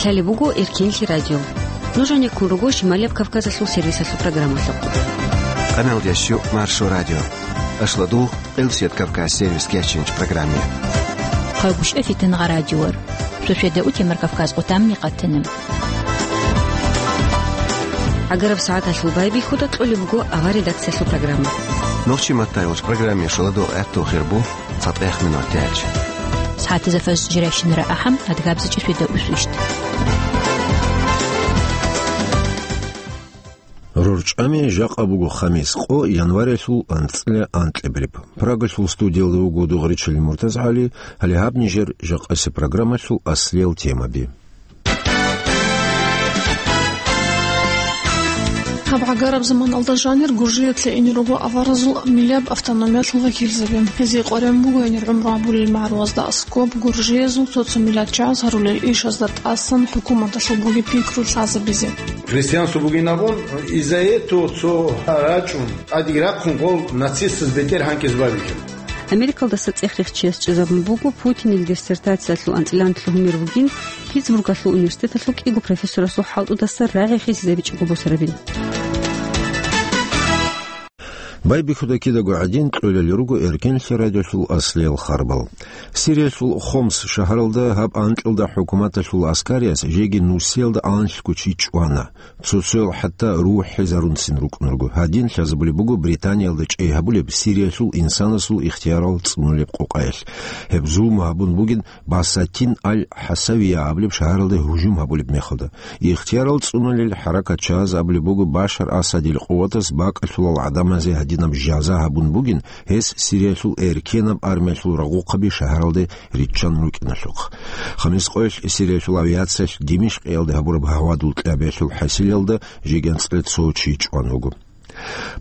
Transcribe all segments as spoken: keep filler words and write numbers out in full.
Лъалеб буго Эркенлъи радио. Нуж гӀенеккун руго Шималияб Кавказалъул сервисалъул программалъухъ. Къаналдящу Маршо радио. Ашладу Элсет Кавказ сервис кечинч программе. Хъагушев Фитнагъа радиор. Суседа утемар Кавказ къутамни къатана. ГӀагараб сагӀаталъул байбихьуда кьолеб буго авар редакциялъул программа. Нохчи маттайолч программе шаладу гӀатту хирбу. ЦатӀех минут тяч. СагӀатазда фаз жирайщинара ахӀам, адгабзичӀи светда усвищт. РорчӀами жакъа буго хамис къо январялъул анцӀила анкьабилеб. Прагалъул студиялда вуго Дугъричил МуртазгӀали, гьале гьаб нижер жакъасеб программалъул аслиял темаби. Гьаб гӀагараб заманалда жанир Гуржиялъе инел руго аваразул миллияб автономиялъул вакилзаби. Гьезие къваригӀун буго гьенир гӀумру гьабулел магӀарулазда аскӀоб гуржиязул цо-цо миллатчагӀаз гьарулел ишазда тӀасан хӀукуматалъул бугеб пикру лъазабизе. Христианство бугин абун, из-за этого цо рачӀун, тӀадеги рахъун гъол нацистаз бетӀер гьанкӀиз бабихьун. Америкалдаса цӀех рехчияс чӀезабун буго Путинил диссертациялъул анцӀила анкьлъи гьумер бугин Питтсбургалъул университеталъул кӀиго профессорасул хӀалтӀудаса рагӀи хисизабичӀого босарабин. Байбихьуда кидаго гӀадин, кьолел руго Эркенлъи радиолъул аслиял харбал. Сириялъул Хомс шагьаралда гьаб анкьалда хӀукуматалъул аскарияс жеги нусиялда анлъго чи чӀвана. Цо-цоял хӀатта рухӀизарунцин рукӀун руго. Гьадин лъазабулеб буго Британиялда чӀей гьабулеб Сириялъул инсанасул ихтиярал цӀунулеб къокъаялъ. Гьеб зулму гьабун бугин Басатин аль-ХӀасавия абулеб шагьаралда гьужум гьабулеб мехалда. Ихтиярал цӀунулел хӀаракатчагьаз абулеб буго Башар Асадил къуватас бакӀалъулал гӀадамазе гьадинаб жаза гьабун бугин, гьес Сириялъул эркенаб армиялъул рагъухъаби шагьаралде риччан рукӀиналъухъ. Хамис къоялъ Сириялъул авиациялъ Димишкъиялде гьабураб гьавадул кьабиялъул хӀасилалда жеги анцӀила цо чи чӀван вуго.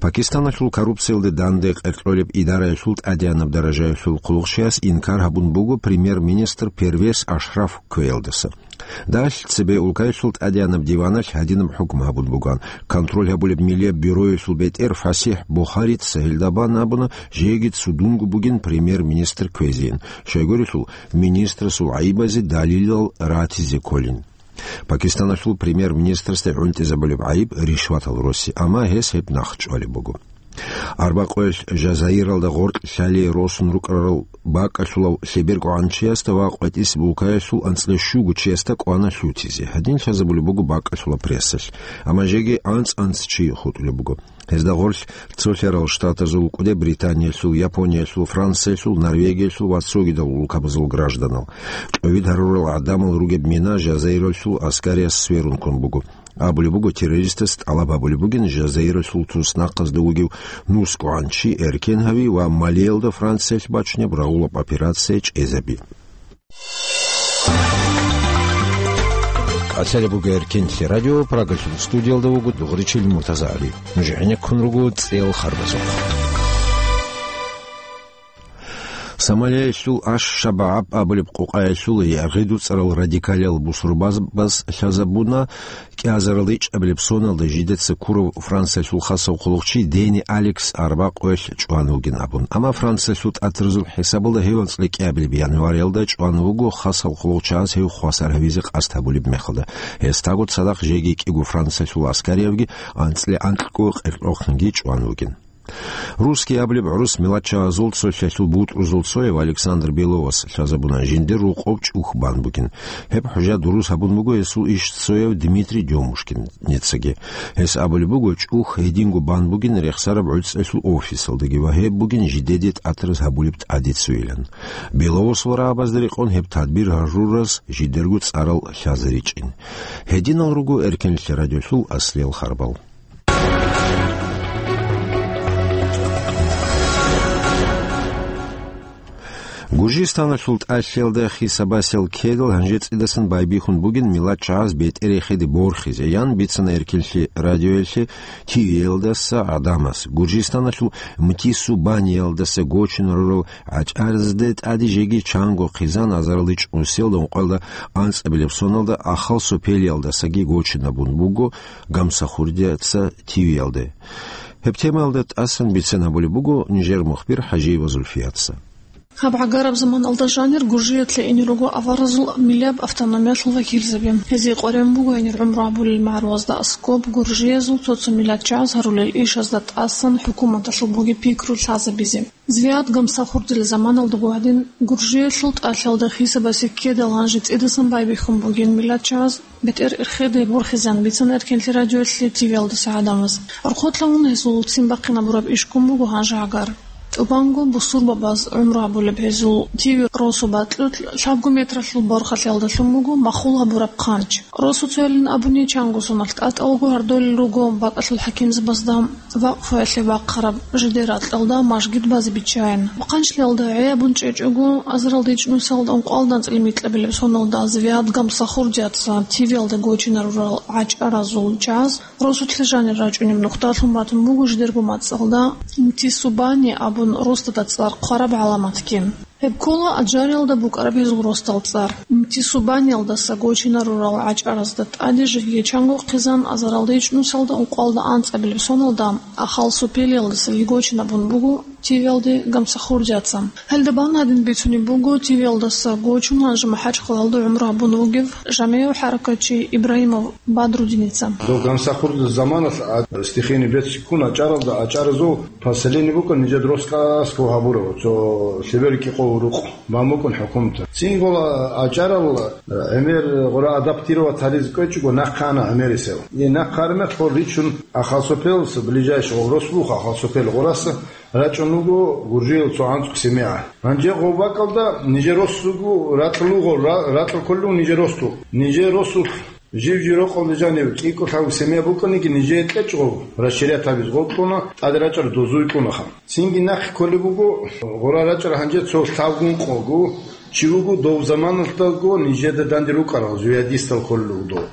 Пакистаналъул коррупциялде данде къеркьолеб идараялъул тӀадегӀанаб даражаялъул хъулухъчияс инкар гьабун буго премьер-министр Первез Ашраф кквеялдаса. Далъ цебе улкаялъул тӀадегӀанаб диваналъ гьадинаб хӀукму гьабун буган: контроль гьабулеб миллияб бюроялъул бетӀер ФасихӀ Бухарица гьелда бан абуна, жеги цудунго бугин премьер-министр кквезейин, щайгурелъул министрасул гӀайибазе далилал ратизе кколин. Пакистаналъул премьер-министрасда гӀунтӀизабулеб гӀайиб ришватал роси, амма гьес гьеб нахъчӀвалеб буго. Арбакъоялъ Жазаиралда гъоркь лъалие росун рукӀарал бакӀалъулав лъеберго гӀанчиясда ва къватӀис булкаялъул анцӀила щуго чиясда кӀвана лъутизе. Гьадин лъазабулеб буго бакӀалъула прессалъ, амма жеги анцӀ-анцӀ чи хутӀулеб буго. Гьезда гъорлъ цолъарал штатазул, КӀуди Британиялъул, Япониялъул, Франциялъул, Норвегиялъул ва цогидал улкабазул гражданал. КӀовид гьарурал гӀадамал ругеб мина Жазаиралъул аскариялъ сверун ккун буго. Абулеб буго, террористас тӀалаб гьабулеб бугин Жазаиралъул туснахъазда вугев нусгӀан чи эркен гьави ва Малиялда Франциялъ бачунеб рагъулаб операция чӀезаби. Лъалеб буго Эркенлъи радио, Прагалъул студиялда вуго Дугъричил МуртазагӀали. Нуж гӀенеккун руго цӀел харбазухъ. Сомалиялъул Аш-Шабааб абулеб къокъаялъул ягъи дуцӀарал радикалиял бусурбабаз лъазабуна, кӀиазарал ичӀабилеб соналда жидеца ккурав Франциялъул хасав хъулухъчи Дени Алекс арбакъоялъ чӀван вугин абун. Амма Франциялъул тӀатразул хӀисабалда гьев анцӀила кӀиабилеб январиялда чӀван вуго, хасав хъулухъчагьаз гьев хвасар гьавизе къасд гьабулеб мехалда. Гьесдаго цадахъ жеги кӀиго Франциялъул аскариявги анцӀила анкьго къеркьохъанги чӀван вугин. Русский абулеб гӀурус милатчагьазул цолъалъул бутӀрузул цояв Александр Беловас лъазабуна, жиндир рокъов чӀух бан бугин. Гьеб хӀужа дурус гьабун буго гьесул иш цояв Дмитрий Дёмушкиницаги. Гьес абулеб буго, чӀух гьединго бан бугин рехсараб гӀуцӀралъул офисалдаги ва гьеб бугин жидеде тӀатраз гьабулеб тӀадицуилан. Беловасул рагӀабазда рекъон гьеб тадбир гьарураз жидерго цӀарал лъазаричӀин. Гьединал руго Эркенлъи радиолъул аслиял харбал. Гуржистаналъул тӀалъиялда хисабасел ккедал гьанже цӀидасан байбихьун бугин милатчагьаз бетӀер рехиде борхизе, ян бицана Эркенлъи радиоялъе ТВ-ялдаса гӀадамаз. Гуржистаналъул Мтису-Баниялдаса гочун рурал гӀачӀазде тӀаде жеги чанго хъизан азарилда чӀусиялда ункъоялда анцӀабилеб соналда Ахал-Сопелиялдасаги гочинабун буго Гамсахурдияца ТВ-ялде. Гьеб темаялда тӀасан бицен гьабулеб буго нижер мухбир ХӀажиева Зульфияца. Гьаб гӀагараб заманалда жанир Гуржиялъе инел руго аваразул миллияб автономиялъул вакилзаби. Гьезие къваригӀун буго гьенир гӀумру гьабулел магӀарулазда аскӀоб гуржиязул цо-цо миллат чагӀаз гьарулел ишазда тӀасан хӀукуматалъул бугеб пикру лъазабизе. Звиад Гамсахурдил заманалдаго гьадин Гуржиялъул тӀалъалда хисабасе ккедал гьанже цӀидасан байбихьун бугин миллат чагӀаз. БетӀер ирхиде борхизан бицана Эркенлъи радиоялъе ТВ-алдаса гӀадамаз. Орхотлъавун гьезул ццин бахъинабураб иш ккун буго гьанже гӀагар. ТӀубанго бусурбабаз гӀумру гьабулеб гьезул ТВ росу бакьулъ лъабго метралъул борхалъиялда лъун буго махул гьабураб хъанч. Росу цоялин абуни чанго соналъ тӀатӀалаго гьардолел руго бакӀалъул хӀакимзабазда. Вакъфуялъе бахъараб жидер ракьалда мажгит базе биччайин. Хъанчлъиялда гӀей абун чӀечӀого, азаралда ичӀнусиялда ункъоялда анцӀила микьабилеб соналда Звиад Гамсахурдияца ТВ-ялда гочинарурал гӀачӀаразул чагӀаз росулъе жанир рачӀунеб нухда лъун батун буго жидерго мацӀалда Мтисубани абун росдада цӀар хъвараб гӀаламатги. Гьеб ккола Аджариялда букӀараб гьезул росдал цӀар. Мтисубаниялдаса гочинарурал гӀачӀаразда тӀаде жеги чанго хъизан азаралда ичӀнусалда ункъоялда анцӀабилеб соналда Ахал-Сопелиялдасаги гочинабун буго ТВ-ялде Гамсахурдияца. Гьелда бан гьадин бицунеб буго ТВ-ялдаса гочун гьанже МахӀачхъалаялда гӀумру гьабун вугев жамигӀав хӀаракатчи Ибрагьимов Бадрудиница. Дов Гамсахурдияс заманалъ а-, стихийный бедствие ккун АчӀаралда, АчӀаразул поселение букӀун нижер росдал аскӀов гьабурав, цо лъеберги къо рукъ бан букӀун хӀукуматалъ. Цинги гъола АчӀарал гӀемер гъура адаптировать гьаризе кӀвечӀого нахъе ана гӀемерисел. И нахъе араб мехалъ гъор ричун Ахал-Сопелалъа, ближайший гъов рос буго Ахал-Сопел гъораса, рачӀун вуго Гуржиял цо анцӀго семья. Гьанже гъов бакӀалда нижер росулъ вуго ракьулъ вуго, ра-, ракьулъ кколев нижер росулъ. Нижер росулъ жив-жив рокъалда жанив кӀикӀо-лъабго семья букӀаниги, нижее кьечӀого расширять гьабизе гъоркьуна, тӀаде рачӀарал дозуй кьунаха. Цинги нахъе кколеб буго, гъура рачӀарал гьанже цо лъабгун къого чи вуго, дов заманалдаго нижеда данде рукӀарал, звиадистал кколел руго дов.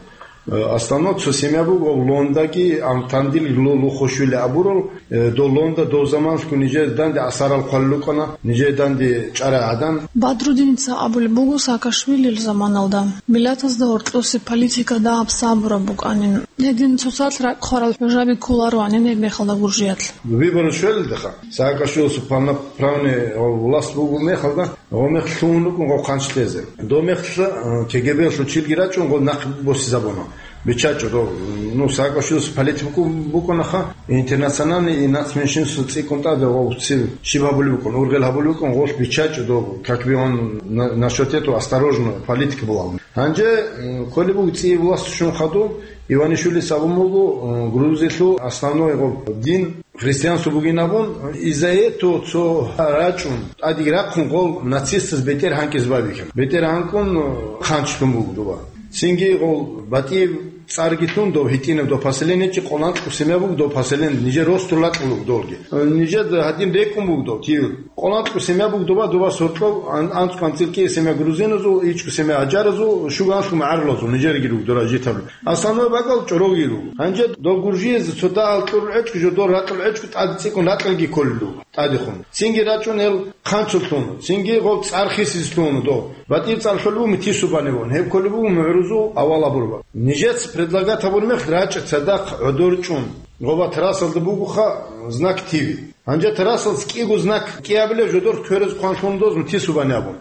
Э, основной цо семья буго Лондаги, Амтандил, Лу-, Лухушвили абурал, Э, дов Лонда, дов заманалъго нижер данде асарал хъвалел рукӀана, нижер данде чӀарай гӀадан. Бадрудиница абулеб буго Саакашвилил заманалда, миллатазда гьоркьосе политика дагьаб сабураб букӀанин. Гьедин цоцалъ ракӀ хъварал хӀужаби кколароанин гьеб мехалда Гуржиялъ. Выборы щвелалдеха, Саакашвилица полноправный власть буго мехалда, гъо мехалъ лъугьун рукӀун гъо хъанч лъезе. Дов мехалъ, э, КГБ-лъул чилги рачӀун гъо нахъ босизабуна. БиччачӀо дов, ну, Саакашвилица политик букӀунаха, интернациональный и нацменьшинство цӀикӀкӀун тӀаде гъов цив щиб гьабулеб букӀун, ургъел гьабулеб букӀун, гъолъ биччачӀо дов, как бы он на-, насчёт этого осторожно политика была. Гьанже, м, кколеб буго цӀияб власть щун хадуб, Иванишвилица абун буго, м, Грузиялъул основной гъоб дин христианство бугин абун, из-за этого цо рачӀун, тӀадеги рахъун гъол нацистаз бетӀер гьанкӀиз бабихьан. БетӀер гьанкӀун, м, хъанчлъун буго доба. Цинги гъол батӀияб цӀарги лъун дов гьитӀинаб дов поселение чи, къоланкьу семья буго дов поселение, нижер росдул ракьул руго долги. Нижер гьадин рекӀун буго дов, тив. Къоланкьу семья буго доба, доба сортлъов ан-, анцӀ-, анцӀила кӀияб семья грузиназул, ичӀго семья аджаразул, щуганлъу магӀарулазул, нижерги руго дора житабли. Основной бакӀал чӀоролги руго. Гьанже дов гуржиязе цо дагьал кьурул гӀечӀго, жо дор ракьул гӀечӀго тӀаде цӀикӀкӀун ракьалги кколел руго. ТӀадехун. Цинги рачӀун гьел хъанчул лъуна, цинги гъов цӀар хисизе лъуна дов. БатӀиб цӀар лъолеб буго Митисубанивун, гьеб кколеб буго мугӀрузул авал абурба. Нижеца предлагать гьабураб мехалъ рачӀа цадахъ гӀодор чӀун. Гъоба трассалда бугоха знак Тиви. Гьанже трассалъ кӀиго знак кӀиабилеб жодор кверез хъван лъуна доз Митисубани абун.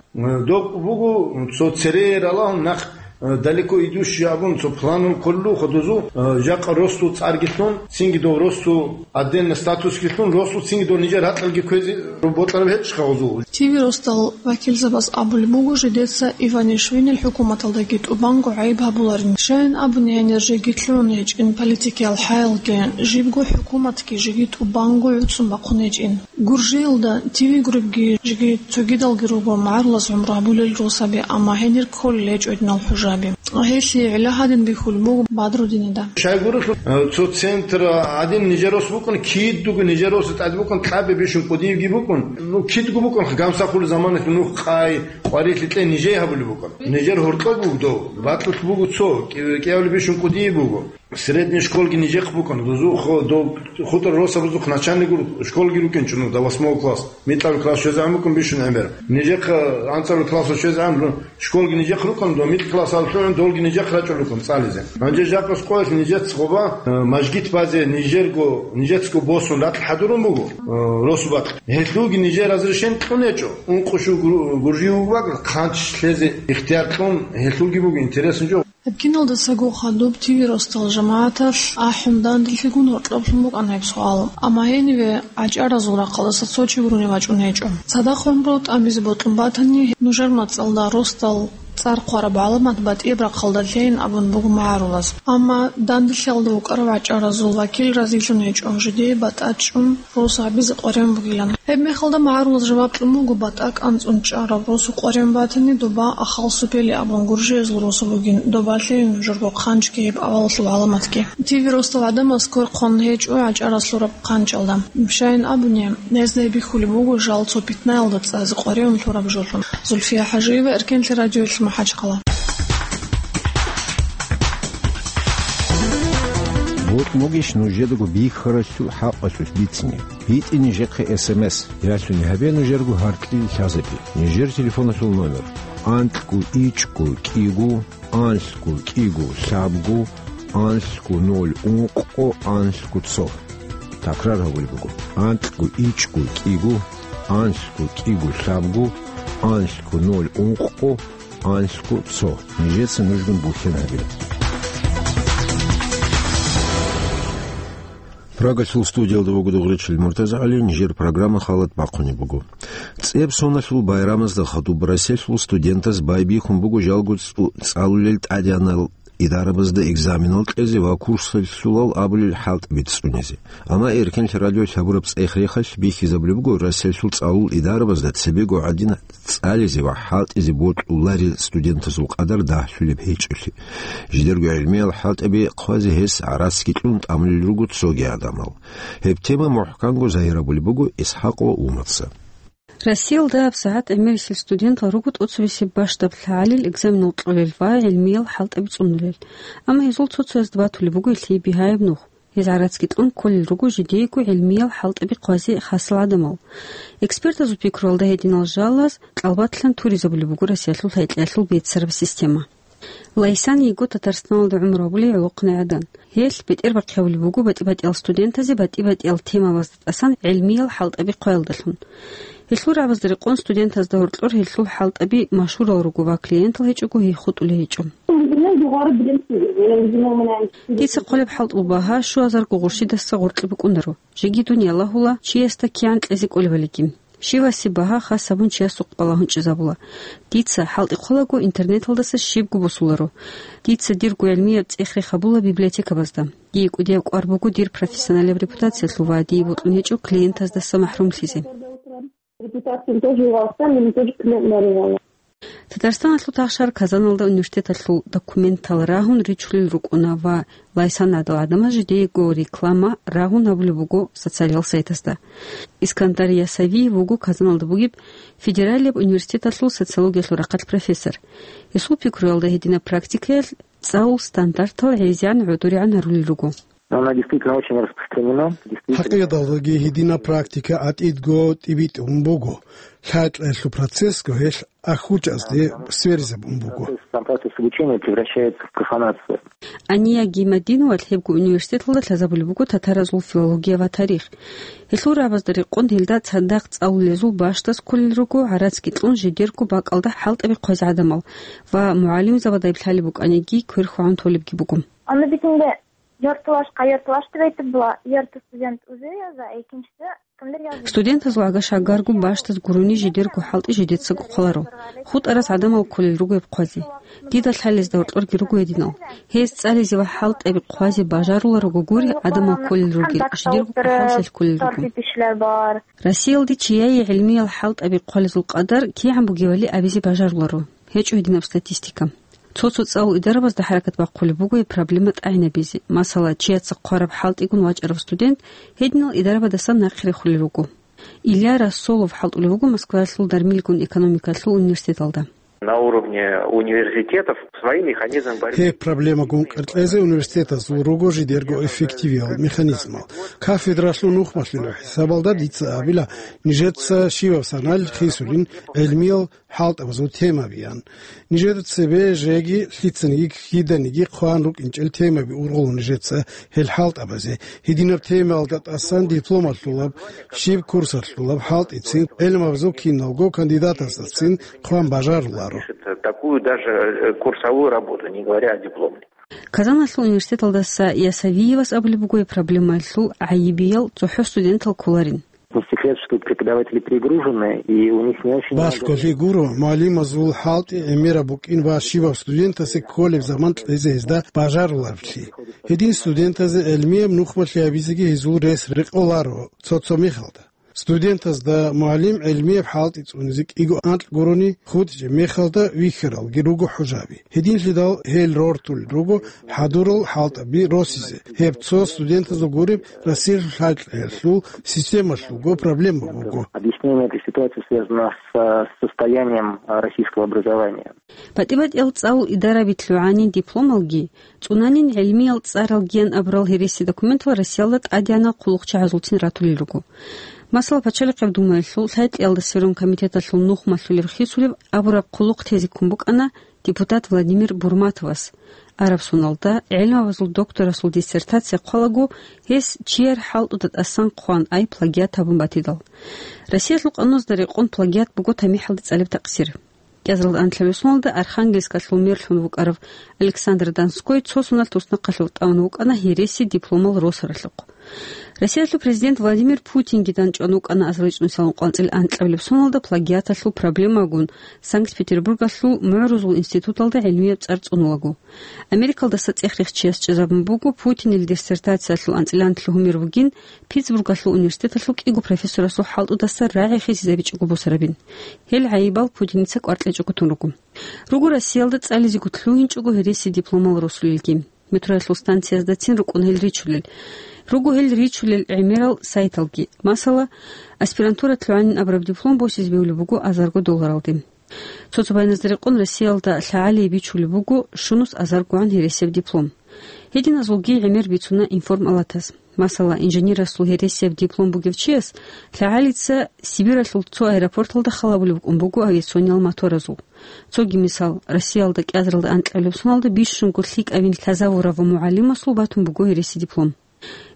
Доб буго цо цере ралагьун нах далеко идущий абун цо планул кколелъул ходозул, э, жакъа росул цӀарги лъун, цинги дов росул отдельный статусги лъун, росул цинги дов нижер гьакьалги кквезе бокьараб гьечӀищха гъозул? Тиви росдал вакилзабаз абулеб буго, жидеца Иванишвилил хӀукуматалдаги тӀубанго гӀайиб гьабуларин. Щайин абуни, гьанир жеги лъугӀун гьечӀин политикиял хӀаялги, жибго хӀукуматги жеги тӀубанго гӀуцӀун бахъун гьечӀин. Гуржиялда Тиви гуребги жеги цогидалги руго магӀарулаз гӀумру гьабулел росаби, амма гьенир кколел гьечӀо гьединал хӀужаби. Гьелъие гӀилла гьадин бихьулеб буго Бадрудинида. Щайгурелъул, э, цо центр гьадин нижер рос букӀун, кидго нижер рос тӀад букӀун, кьаби бищун кӀудиевги букӀун. Ну, кидго букӀун, Гамсахурдил заманалъ нух къай, къварилъи кьей нижее гьабулеб букӀун. Нижер гьоркьоб буго дов, бакьулъ буго цо, кӀи-, кӀиабилеб бищун кӀудияб буго. Средний школги нижехъ букӀана, дозухъ, доб-, хутӀар росабазухъ начальник школги рукӀинчӀо, ну, до восьмого класса. Микьабил класс щвезегӀан букӀун бищун гӀемер. Нижехъ анцӀабил класс щвезегӀан, ну, школги нижехъ рукӀана, до микь класс алъугӀун долги нижехъ рачӀун рукӀун цӀализе. Гьанже жакъас къоялъ нижеца гъоба, э, мажгит базе нижерго, нижецаго босун ракь хӀадурун буго, э, росу бакь. Гьелъулги нижер разрешение кьун гьечӀо. Ункъо щуго гуржи вугеб бакӀ хъанч лъезе ихтияр кьун, гьелъулги буго интересный жо. Гьеб киналдасаго хадуб ТВ росдал жамагӀаталъ ахӀун данделъигун гьоркьоблъун букӀана гьеб суал. Амма гьениве гӀачӀаразул рахъалдаса цо чи гурони вачӀун гьечӀо. Цадахъ гӀумру тӀамизе бокьун батани, нужер мацӀалда росдал цӀар хъвараб гӀаламат батӀияб рахъалда лъейин абун буго магӀарулаз. Амма данделъиялда вукӀарав гӀачӀаразул вакил разилъун гьечӀо, жидее батӀа чӀун рос гьабизе къваригӀун бугилан. Гьеб мехалда магӀарулаз жаваб кьун буго, батӀа кӀанцӀун чӀараб росу къваригӀун батани, доба ахал супели абун гуржиязул росу бугин, доба лъейин нужерго хъанчги гьеб авалалъул гӀаламатги. ТВ росдал гӀадамаз квер хъван гьечӀо гӀачӀараз лъураб хъанчӀалда. Щайин абуни, гьезда гьеб бихьулеб буго жал цо питнаялда цӀазе къваригӀун лъураб жолъун. Зульфия Хажиева, Эркенлъи радиоялъ, МахӀачхъала. Бокьун бугищ нужедаго бихьаралъул хӀакъалъулъ бицине? БитӀе нижехъе СМС, ялъуни гьабе нужерго гьаркьил лъазаби. Нижер телефоналъул номер: анкьго ичӀго кӀиго, анлъго кӀиго лъабго, анлъго ноль ункъго, анлъго цо. Такрар гьабулеб буго: анкьго ичӀго кӀиго, анлъго кӀиго лъабго, анлъго ноль ункъго, анлъго цо. Нижеца нужгун бухьен гьабе. Прагалъул студиялда вуго Дугъричил МуртазагӀали, нижер программа халат бахъунеб буго. ЦӀеб соналъул байрамазда хадуб Россиялъул студентаз байбихьун буго жалго цӀу-, цӀалулел тӀадегӀанал идарабазда экзаменал кьезе ва курсалъулал абулел хӀалтӀаби цӀунизе. Амма Эркенлъи радиолъ гьабураб цӀех-рехалъ бихьизабулеб буго, Россиялъул цӀалул идарабазда цебего гӀадин цӀализе ва хӀалтӀизе бокьуларел студентазул къадар дагьлъулеб гьечӀолъи. Жидерго гӀелмиял хӀалтӀаби хъвазе гьес гӀарацги кьун тӀамулел руго цоги гӀадамал. Гьеб тема мухӀканго загьирабулеб буго ИсхӀакъ ва Умаца. Россиялда гьабсагӀат гӀемерисел студентал руго тӀоцебесеб бащдаб лъагӀалил экзаменал кьолел ва гӀелмиял хӀалтӀаби цӀунулел. Амма гьезул цо-цоязда батулеб буго гьелъие бигьаяб нух. Гьез гӀарацги кьун кколел руго жидеего гӀелмиял хӀалтӀаби хъвазе хасал гӀадамал. Экспертазул пикруялда гьединал жалаз кьалбатлъан туризабулеб буго Россиялъул гьекъеялъул беццараб система. Лайсан йиго Татарстаналда гӀумру гьабулей гӀолохъанай гӀадан. Гьелъ бетӀербахъи гьабулеб буго батӀи-батӀиял студентазе батӀи-батӀиял темабазда тӀасан гӀелмиял хӀалтӀаби хъваялдалъун. Гьелъул рагӀабазда рекъон студентазда гьоркьор гьелъул хӀалтӀаби машгьурал руго ва клиентал гьечӀого гьей хутӀулей гьечӀо. Дица хъолеб хӀалтӀул багьа щуазарго гъурщидаса гъоркье букӀунаро. Жеги дун ялагьула, чиясда кигӀан кьезе кӀолебалиги. Щивасеб багьа хас гьабун чиясухъ балагьун чӀезабула. Дица хӀалтӀи хъолаго интернеталдаса щибго босуларо. Дица дирго гӀелмияб цӀех-рех гьабула библиотекабазда. Дие кӀудияб кӀвар буго дир профессионалияб репутациялъул ва дие бокьун гьечӀо клиентаздаса махӀрумлъизе. Репутация тоже важна, мне тоже клиент нарывала. Татарстаналъул тахшар Казаналда университеталъул документал рагьун ричулел рукӀуна ва Лайсан гӀадал гӀадамаз жидеего реклама рагьун гьабулеб буго социалиял сайтазда. Искандар Ясавиев вуго Казаналда бугеб федералияб университеталъул социологиялъул рахъалъ профессор. Гьесул пикруялда гьединаб практикаялъ цӀалул стандартал гӀезегӀан гӀодоригӀан гьарулел руго. Ну, она действительно очень распространена. Действительно. ХӀакъикъаталдаги гьединаб практика гӀатӀидго тӀибитӀун буго. ЛъачӀаялъул процессго гьелъ ахӀучӀазде сверизабун буго. Процесс, там процесс обучения превращается в профанацию. Ания Гимадиновалъ гьебго университеталда лъазабулеб буго татаразул филология ва тарих. Гьелъул рагӀабазда рекъон гьелда цадахъ цӀалулезул бащдаз кколел руго, гӀарацги кьун жидерго бакӀалда хӀалтӀаби хъвазе гӀадамал ва мугӀалимзабадай лъалеб букӀаниги квер хьвагӀун толебги буго. Ана битинде яртылаш, ка яртылаш тибейтибла, ярты студент узе яза, экинчиси кимдир яза. Студентазул гӀагаш гӀагарго бащдаз гурони жидерго хӀалтӀи жидецаго хъваларо. ХутӀараз гӀадамал кколел руго гьеб хъвазе. Дида лъалезда гьоркьорги руго гьединал. Гьез цӀализе ва хӀалтӀаби хъвазе бажаруларого гури, гӀадамал кколел ругел, жидерго хъахӀаллъи кколел руго. Россиялде чияе гӀилмиял хӀалтӀаби хъвалезул къадар кигӀан бугевали абизе бажаруларо. ГьечӀо гьединаб статистика. Цо-цо цӀалул идарабазда хӀаракат бахъулеб буго гьеб проблема тӀагӀинабизе. Масала, чияца хъвараб хӀалтӀигун вачӀарав студент гьединал идарабадасан нахъе рехулел руго. Илья Рассолов хӀалтӀулев вуго Москваялъул Дармилгун экономикалъул университеталда. На уровне университетов свои механизмы борьбы. Гьеб проблемагун кьеркьезе университетазул руго жидерго эффективиял механизмал. Кафедралъул нухмалъулеб хӀисабалда дица абила, нижеца щиваб санал хисулин гӀелмиял хӀалтӀабазул темабиян. Нижер цебе жеги лъицаниги киданиги хъван рукӀинчӀел темаби ургъула нижеца гьел хӀалтӀабазе. Гьединаб темаялда тӀасан дипломалъулаб, щиб курсалъулаб хӀалтӀицин, гӀелмабазул киналго кандидатаздацин хъван бажаруларо. Пишет такую даже, э, курсовую работу, не говоря о дипломе. Казаналъул университеталдаса Ясавиевас абулеб буго гьеб проблемаялъул гӀайибиял цохӀо студентал кколарин. Не секрет, что преподаватели перегружены, и у них не очень много. Балъголъи гуро, мугӀалимазул хӀалтӀи гӀемераб букӀин ва щибаб студентасе кколеб заман кьезе гьезда бажарулареблъи. Гьедин студентазе гӀелмияб нухмалъи гьабизеги гьезул рес рекъоларо цо-цо мехалда. Студентазда мугӀалим гӀелмияб хӀалтӀи цӀунизе кӀиго анкь гурони хутӀичӀеб мехалда вихьаралги руго хӀужаби. Гьединлъидал гьел рортулел руго хӀадурал хӀалтӀаби росизе. Гьеб цо студентазул гуреб Россиялъул лъалкӀиялъул системалъулго проблема буго. Объяснение этой ситуации связано с, с состоянием, а, российского образования. БатӀи-батӀиял цӀалул идараби лъугӀанин дипломалги, цӀунанин гӀелмиял цӀаралгиян абурал гьереси документал Россиялда тӀадегӀанал хъулухъчагӀазулцин ратулел руго. Масала, Пачалихъеб Думаялъул лъай-кьиялда сверун комитеталъул нухмалъулеб хисулеб абураб хъулухъ тезе ккун букӀана депутат Владимир Бурматовас. Араб соналда гӀелмабазул докторасул диссертация хъвалаго, гьес чияр хӀалтӀуда тӀасан хъван ай плагиат гьабун батидал. Россиялъул къануналда рекъон плагиат буго тамихӀалда цӀалеб такъсир. КӀиазаралда анлъабилеб соналда Архангельскалъул мерлъун вукӀарав Александр Донской цо соналъ туснахъалъув тӀамун вукӀана гьереси дипломал росаралъухъ. Россиялъул президент Владимир Путинги данчӀван вукӀана азарилчӀунусиялгун къванцӀил анкьабилеб соналда плагиаталъул проблемагун Санкт-Петербургалъул мугӀрузул институталда гӀелмияб цӀар цӀунулаго. Америкалдаса цӀех-рех чияс чӀезабун буго, Путинил диссертациялъул анцӀила анлъго гьумер бугин Питтсбургалъул университеталъул кӀиго профессорасул хӀалтӀудаса рагӀи хисизабичӀого босарабин. Гьел гӀайибал Путиница кӀваркьичӀого тун руго. Руго Россиялда цӀализего лъугьинчӀого гьереси дипломал росулелги. Метроялъул станцияздацин рукӀун гьел ричулел. Руго гьел ричулел гӀемерал сайталги. Масала, аспирантура лъугӀанин абураб диплом босизе бегьулеб буго азарго долларалде. Цо-цо байназда рекъон Россиялда лъагӀалие бичулеб буго щунус азаргогӀан гьересияб диплом. Гьединазулги гӀемер бицуна информалатаз. Масала, инженерасул гьересияб диплом бугев чияс лъагӀалица Сибиралъул цо аэропорталда халабулеб букӀун буго авиациониял моторазул. Цоги мисал, Россиялда кӀиазаралда анкьабилеб соналда бищунго лъикӀабин лъазавурав мугӀалимасул батун буго гьереси диплом.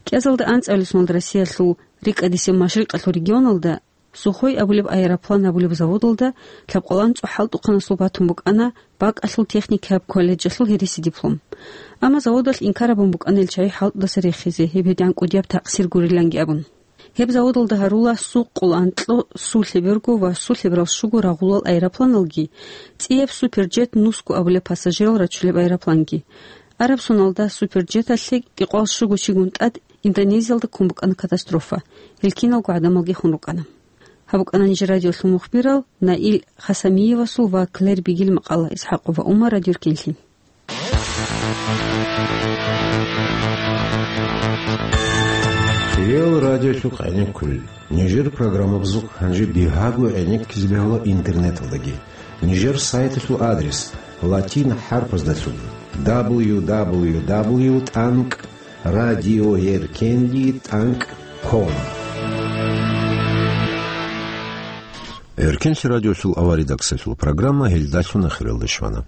КӀиазалда анцӀабилеб соналда Россиялъул рикӀкӀадисеб машрикъалъул регионалда Сухой абулеб аэроплан гьабулеб заводалда лъабкъалан цӀухӀал тӀухъанасул батун букӀана бакӀалъул техникияб колледжалъул гьереси диплом. Амма заводалъ инкар гьабун букӀана ил чагӀи хӀалтӀудаса рехизе, гьеб гьедигӀан кӀудияб такъсир гуриланги абун. Гьеб заводалда гьарула сукъул анкьго су лъеберго ва су лъеберал щуго рагъулал аэропланалги, цӀияб Суперджет нусго абулеб пассажирал рачулеб аэропланги. Араб соналда Суперджеталъе кӀикъоялда щуго чигун тӀад Индонезиялда ккун букӀана катастрофа. Гьел киналго гӀадамалги хун рукӀана. Гьаб букӀана нижер радиолъул мухбирал Наил Хасамиевасул ва Клэр Бигил макъала. ИсхӀакъова Умар, Радио Эркенлъи. Кьел радиолъухъ гӀенеккулел. Нижер программабазухъ гьанже бигьаго гӀенеккизе бегьула интернеталдаги. Нижер сайталъул адрес латин хӀарпаздалъун: дабл ю дабл ю дабл ю тӀанкӀ радиоэркенлъи тӀанкӀ ком. Эркенлъи радиолъул аваридаксалъул программа гьелдалъун ахиралде щвана.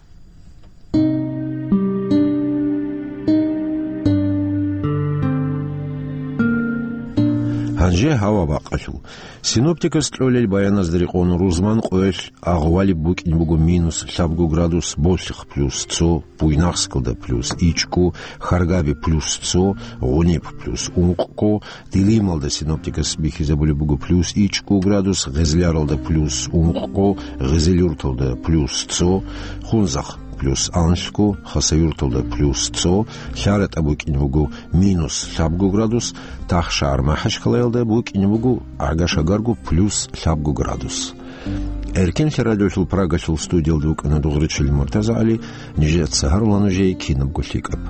Гьанже гьава бакъалъул. Синоптикас кьолел баяназда рекъон рузман къоялъ агъвалиб букӀин буго минус лъабго градус Болъихъ плюс цо, Буйнакскалда плюс ичӀго, Харгаби плюс цо, Гъуниб плюс ункъго, Дилималда синоптикас бихьизабулеб буго плюс ичӀго градус, Гъезляралда плюс ункъго, Гъезелюрталда плюс цо, Хунзахъ плюс анлъго, Хасавюрталда плюс цо, ЛъаратӀа букӀин буго минус лъабго градус, Тахшагьар-МахӀачхъалаялда букӀин буго гӀага-шагарго плюс лъабго градус. Эркенлъи радиолъул Прагалъул студиялда вукӀана Дугъричилин МуртазагӀали, нижеца гьарула нужее кинабго лъикӀаб.